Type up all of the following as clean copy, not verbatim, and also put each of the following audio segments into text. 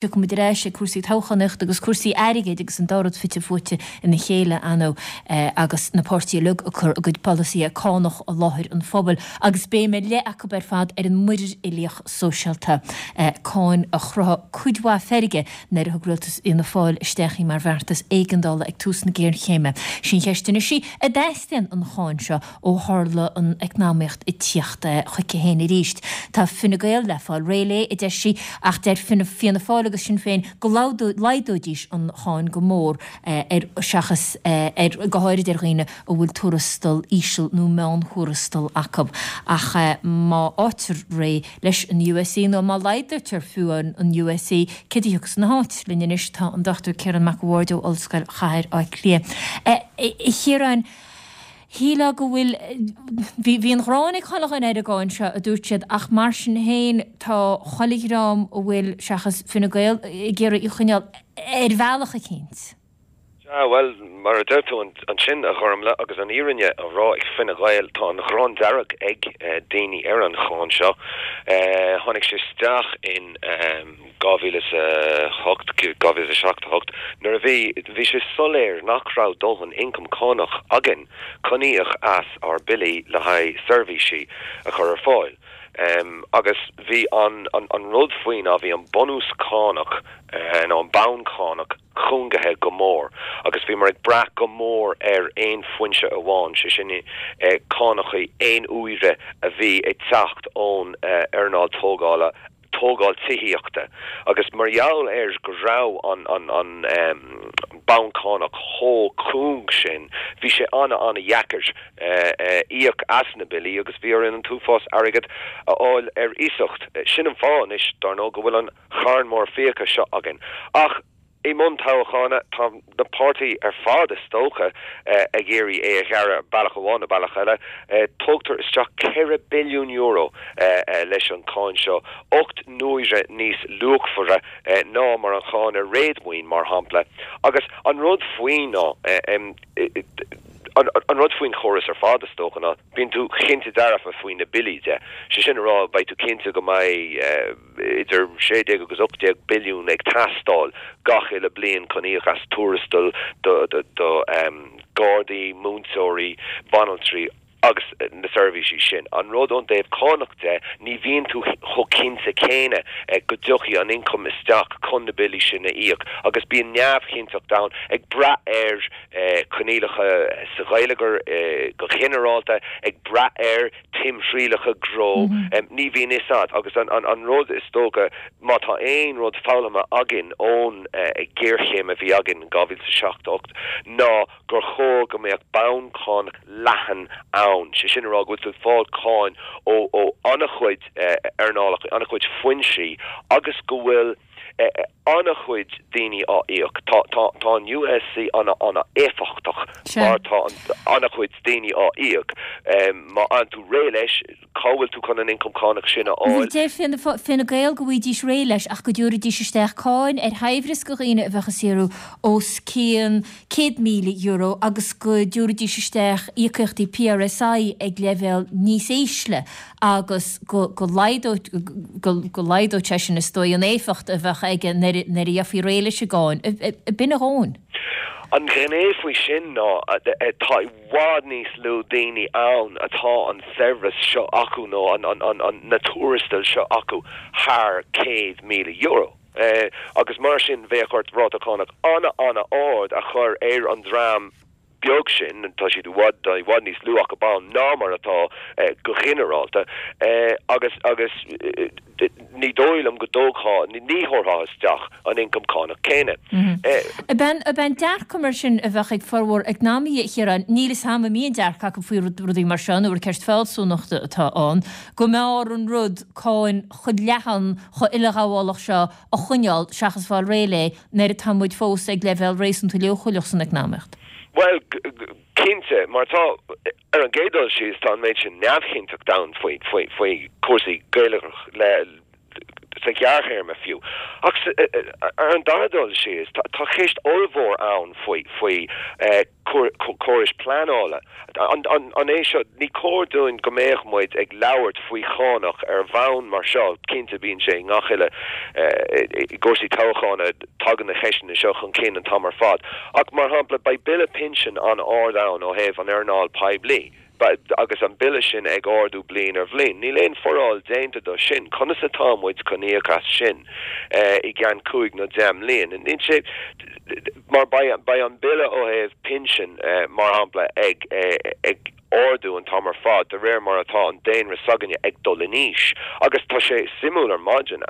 Tiocfaidh muid ar ais ag cúrsaí toghchánaíochta agus cúrsaí airgid agus an dá rud fite fuaite ina chéile, ar ndóigh, agus na páirtithe uilig ag cur a gcuid polasaithe cánach i láthair an phobail agus béim ar leith acu ar fad ar an muirear uilíoch sóisialta, cáin a chruthaigh cuid mhaith feirge nuair a thug rialtas Fhianna Fáil isteach í mar bheartas éigeandála ag tús na géarchéime. Sí an cheist anois í, an dteastaíonn an cháin seo ó tharla an eacnamaíocht ag tíocht chuici féin arís. Tá Fine Gael le fáil réidh léi, a deir sí, ach deir Fianna Fáil agus Sinn Féin go laghdóidís an cháin go mór ar seachas ar, go háirid ar dhaoine a bhfuil tuarastal íseal nó meánthuarastal acu. Ach má fháitear réidh leis an USC nó má laghdaítear fiú an USC, céard a thiocfas ina háit? Linn anois tá an Dr Ciarán Mac a' Bhaird ó Ollscoil Chathair Átha Cliath. A Chiaráin, Shílfeá go bhfuil, bhí, bhí an ghráin ag chuile dhuine ar an gcáin seo, a dúirt siad, ach mar sin féin tá chuile dhream a bhfuil, seachas Fine Gael, ag iarraidh í a choinneáil ar bhealach eicínt. Sea, bhuel, mar a deir tú ansin, a Ghormlaith, agus an fhírinne á rá ag Fine Gael, tá an ghráin dearg ag daoine ar an cháin seo. Tháinig sé isteach in. 2008, 2007, 8, nuair a bhí, bhí sé soiléir nach raibh dóthain ioncam cánach againn chun íoc as ár billí le haghaidh seirbhísí a chur ar fáil. Agus bhí an, an rud faoi ná bhí an bunús cánach, nó an bonn cánach cúngaithe go mór agus bhíomar ag brath go mór ar aon foinse amháin, sé sin cánachaí aon uaire a bhí ag teacht ón earnáil tógála, tógáil tithíochta agus mar gheall ar go raibh an an bonn cánach chomh cúng sin bhí sé ana-ana-dheacair íoc as na billí agus bhí orainn an t-uafás airgead a fháil ar iasacht. Sin an fáth anois dar ndóigh go bhfuil an charn mór fiacha seo againn. Ach. I mbun toghchána, tá na páirtithe ar fad, is dócha, ag iarraidh é a ghearradh bealach amháin nó bealach eile. Tógtar isteach €4 billiún leis an cháin seo, 8 n-uaire níos luachmhaire ná mar an cháin ar réadmhaoin, mar shampla. Agus an rud faoi ná, an rud faoin chóras ar fad, is dócha, ná bíonn tú cinnte dearfa faoi na billí de. Sé sin a rá, beidh tú cinnte go mbeidh. idir 16 agus 18 billiún ag teastáil gach uile bliain chun íoc as tuarastail do ghardaí, múinteoirí, banaltraí agus na seirbhísí sin. An rud ón dtaobh cánach de, ní bhíonn tú chomh cinnte céanna go dtiocfaidh an ioncam isteach chun na billí sin a íoc agus bíonn neamhchinnteacht ann ag brath ar choinníollacha sa gheilleagar go ginearálta, ag brath ar timthriallacha gnó, ní bhíonn fhios a'd. Agus an rud is dócha, má tá aon rud foghlamtha againn ón ghéarchéim a bhí againn in 2007, 8, ná gur chóir go mbeadh bonn cánach leathan ann, sé sin a rá go bhfuil tú ag fáil cáin ó an-chuid earnálacha, an-chuid foinsí agus go bhfuil an-chuid daoine á íoc. Tá tá an USC an-an-éifeachtach mar tá an-chuid daoine á íoc. Má fhaigheann tú réidh leis, cá bhfuil tú chun an ioncam cánach sin a fháil? Deir Fine Gael go bhfaighidís réidh leis ach go dtabharfaidís isteach cáin ar shaibhreas do dhaoine a bheadh ag saothrú os cionn €100,000 agus go dtabharfaidís isteach íocaíochtaí PRSI ag leibhéal níos ísle agus go laghdódh sé sin, is dóigh, an éifeacht a bheadh aige nuair a gheofaí réidh leis an gcáin. B'in a dhóthain. An ghné faoi sin ná tá i bhfad níos lú daoine ann atá an saibhreas seo acu nó na tuarastail seo acu thar €100,000. Agus mar sin bheadh ort ráta cánach ana-ana-ard a chur ar an dream beag sin, tá siad i bhfad, tá i bhfad níos lú acu ann ná mar atá go ginearálta, agus, agus ní dóigh liom go dtógfá, ní thabharfá isteach an ioncam cánach céanna. Ab é an, ab é an dearcadh mar sin a bheadh ag formhór eacnamaithe, a Chiaráin, níl 'fhios a'm an mbíonn dearcadh acu faoi rudaí mar seo nó ar ceist fealsúnachta atá ann, go mb'fhearr an rud cáin chomh leathan, chomh uileghabhálach seo a choinneáil seachas fáil réidh léi nuair atá muid fós ag leibhéal réasúnta leochaileach san eacnamaíocht. Bhuel, cinnte, mar tá, ar an gcéad dul síos, tá an méid sin neamhchinnteacht ann faoi, faoi, faoi chúrsaí geilleagrach le. sa ghearrthéarma fiú. Ach ar an dara dul síos, tá ceist ollmhór ann faoi faoi córais pleanála. An é seo, ní cóir dúinn go mbeadh muid ag labhairt faoi chánach ar bhonn mar seo, cinnte bíonn sé i ngach uile, i gcúrsaí toghchána tagann na ceisteanna seo chun cinn an t-am ar fad. Ach mar shampla, beidh bille pinsin an-ard ann ó thaobh an earnáil poiblí. Agus an bille sin ag ardú bliain ar bhliain. Níl aon foráil déanta do sin. Conas atá muid chun íoc as sin i gceann cúig nó deich mbliain? Níl sé, mar beidh an bille ó thaobh pinsin, mar shampla, ag ag ardú an t-am ar fad de réir mar atá an daonra s'againne ag dul in aois. Agus tá sé suimiúil ar maidin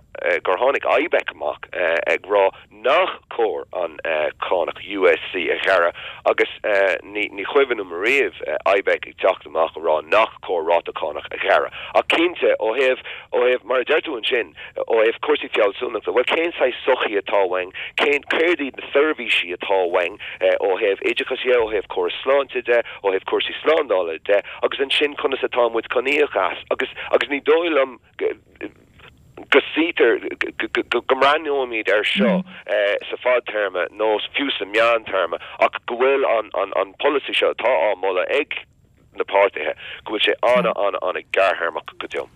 gur tháinig IBEC amach ag rá nach cóir an cánach USC a ghearradh agus ní chuimhin liom ariamh IBEC ag teacht amach a rá nach cóir ráta cánach a ghearradh. Ach cinnte, ó thaobh, ó thaobh, mar a deir tú ansin, ó thaobh cúrsaí fealsúnachta, bhuel cén saghas sochaí atá uainn, cén, céard iad na seirbhísí atá uainn ó thaobh oideachais dhe, ó thaobh córas sláinte de, ó thaobh cúrsaí slándála de agus ansin conas atá muid chun íoc as agus, agus ní dóigh liom go, go suítear, go mbreathnóimid air seo sa fadtéarma nó fiú sa meántéarma ach go bhfuil an polasaí seo atá á moladh ag na páirtithe, go bhfuil sé an-an-an-ghearrthéarmach go deo.